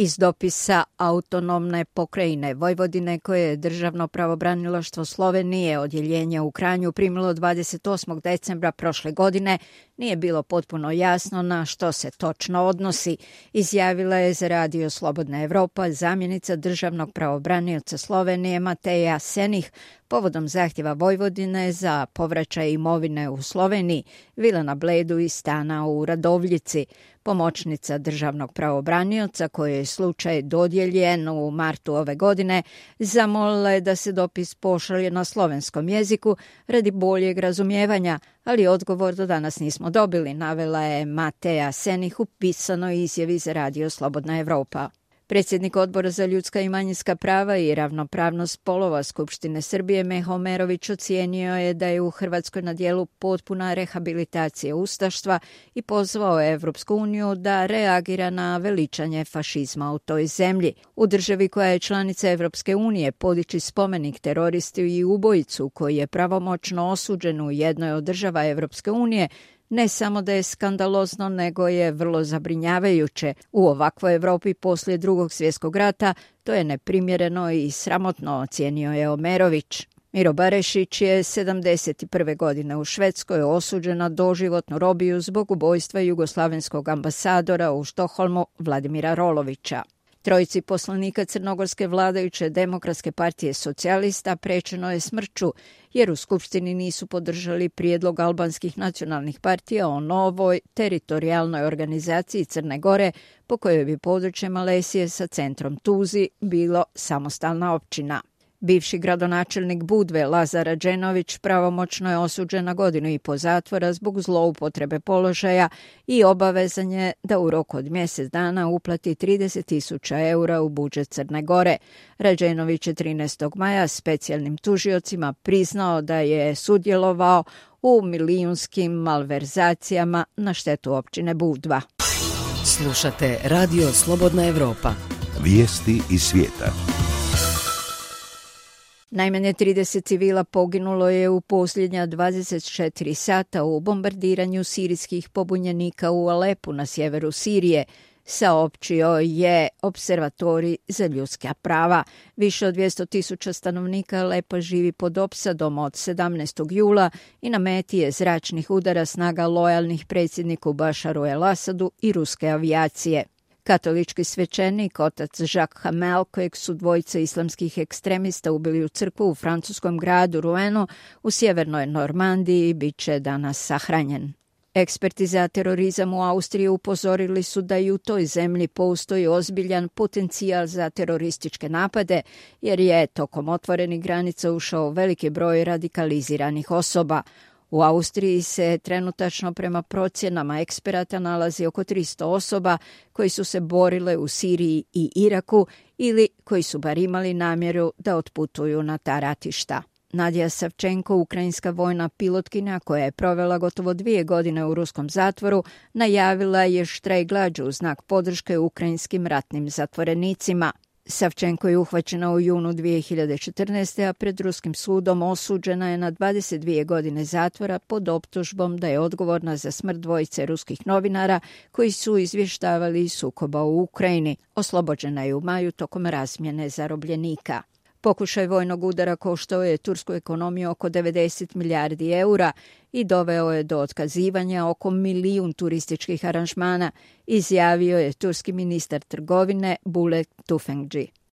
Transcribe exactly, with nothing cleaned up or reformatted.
Iz dopisa autonomne pokrajine Vojvodine koje je Državno pravobranilaštvo Slovenije odjeljenja u Kranju primilo dvadeset osmog decembra prošle godine, nije bilo potpuno jasno na što se točno odnosi, izjavila je za Radio Slobodna Evropa zamjenica državnog pravobranioca Slovenije Mateja Senih povodom zahtjeva Vojvodine za povraćaj imovine u Sloveniji, vile na Bledu i stana u Radovljici. Pomoćnica državnog pravobranioca, kojoj je slučaj dodijeljen u martu ove godine, zamolila je da se dopis pošalje na slovenskom jeziku radi boljeg razumijevanja, ali odgovor do danas nismo dobili, navela je Mateja Senih u pisanoj izjavi za Radio Slobodna Evropa. Predsjednik Odbora za ljudska i manjinska prava i ravnopravnost spolova Skupštine Srbije Meho Omerović ocijenio je da je u Hrvatskoj na dijelu potpuna rehabilitacija ustaštva i pozvao Evropsku uniju da reagira na veličanje fašizma u toj zemlji. U državi koja je članica Evropske unije podići spomenik teroristi i ubojicu koji je pravomoćno osuđen u jednoj od država Evropske unije ne samo da je skandalozno, nego je vrlo zabrinjavajuće. U ovakvoj Evropi poslije Drugog svjetskog rata to je neprimjereno i sramotno, ocijenio je Omerović. Miro Barešić je sedamdeset prve godine u Švedskoj osuđen na doživotnu robiju zbog ubojstva jugoslavenskog ambasadora u Štokholmu Vladimira Rolovića. Trojici poslanika crnogorske vladajuće Demokratske partije socijalista prečeno je smrću jer u Skupštini nisu podržali prijedlog albanskih nacionalnih partija o novoj teritorijalnoj organizaciji Crne Gore po kojoj bi područje Malesije sa centrom Tuzi bilo samostalna općina. Bivši gradonačelnik Budve Lazar Rađenović pravomoćno je osuđen na godinu i po zatvora zbog zloupotrebe položaja i obavezan je da u roku od mjesec dana uplati trideset tisuća eura u budžet Crne Gore. Rađenović je trinaestog maja specijalnim tužiocima priznao da je sudjelovao u milijunskim malverzacijama na štetu općine Budva. Slušate Radio Slobodna Evropa. Vijesti iz svijeta. Najmanje trideset civila poginulo je u posljednja dvadeset četiri sata u bombardiranju sirijskih pobunjenika u Alepu na sjeveru Sirije, saopćio je Observatorij za ljudska prava. Više od dvjesto tisuća stanovnika Alepa živi pod opsadom od sedamnaestog jula i na meti je zračnih udara snaga lojalnih predsjedniku Bašaru el-Asadu i ruske avijacije. Katolički svećenik, otac Jacques Hamel, kojeg su dvojica islamskih ekstremista ubili u crkvu u francuskom gradu Rouen u sjevernoj Normandiji, bit će danas sahranjen. Eksperti za terorizam u Austriji upozorili su da i u toj zemlji postoji ozbiljan potencijal za terorističke napade, jer je tokom otvorenih granica ušao veliki broj radikaliziranih osoba. U Austriji se trenutačno prema procjenama eksperata nalazi oko tristo osoba koji su se borile u Siriji i Iraku ili koji su bar imali namjeru da otputuju na ta ratišta. Nadija Savčenko, ukrajinska vojna pilotkinja koja je provela gotovo dvije godine u ruskom zatvoru, najavila je štrajk glađu u znak podrške ukrajinskim ratnim zatvorenicima. Savčenko je uhvaćena u junu dvije hiljade četrnaeste. a pred ruskim sudom osuđena je na dvadeset dvije godine zatvora pod optužbom da je odgovorna za smrt dvojice ruskih novinara koji su izvještavali iz sukoba u Ukrajini. Oslobođena je u maju tokom razmjene zarobljenika. Pokušaj vojnog udara koštao je tursku ekonomiju oko devedeset milijardi eura i doveo je do otkazivanja oko milijun turističkih aranžmana, izjavio je turski ministar trgovine Bule Tufekci.